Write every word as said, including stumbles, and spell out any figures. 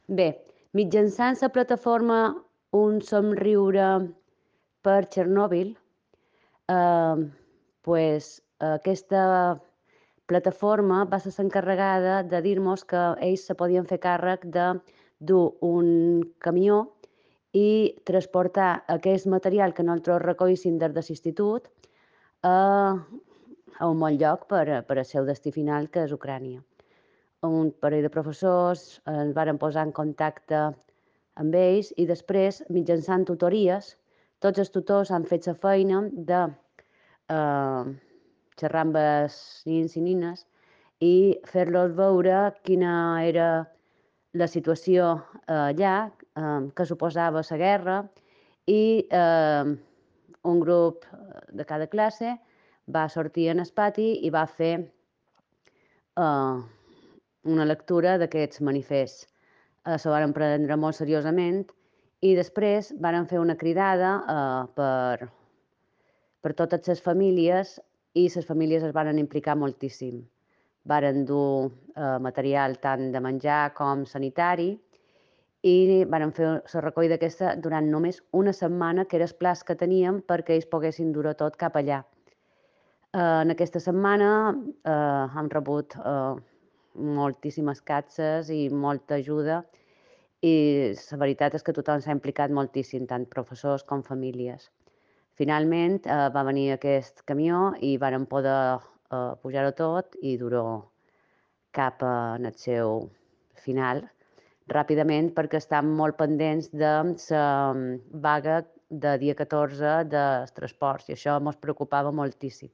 Bé, mitjançant la plataforma Un somriure per Chernobyl, eh, pues, aquesta plataforma va ser l'encarregada de dir-nos que ells se podien fer càrrec de dur un camió i transportar aquest material que nosaltres recollíssim des de l'institut a, a un bon lloc per, a- per al seu destí final, que és Ucrània. Un parell de professors ens varen posar en contacte amb ells i després, mitjançant tutories, tots els tutors han fet la feina de eh, xerrar amb els nins i nines i fer-los veure quina era la situació eh, allà, eh, què suposava la guerra, i eh, un grup de cada classe va sortir en el pati i va fer eh, una lectura d'aquests manifests. Eh, se varen prendre molt seriosament i després varen fer una cridada eh, per, per totes les famílies i les famílies es varen implicar moltíssim. Varen dur eh, material tant de menjar com sanitari i varen fer la recollida aquesta durant només una setmana, que era el plaç que teníem perquè ells poguessin dur-ho tot cap allà. Eh, en aquesta setmana eh, hem rebut eh, moltíssimes catxes i molta ajuda i la veritat és que tothom s'ha implicat moltíssim, tant professors com famílies. Finalment eh, va venir aquest camió i varen poder eh, pujar-ho tot i dur-ho cap a en el seu final ràpidament perquè estan molt pendents de la vaga de dia catorze dels transports i això ens preocupava moltíssim.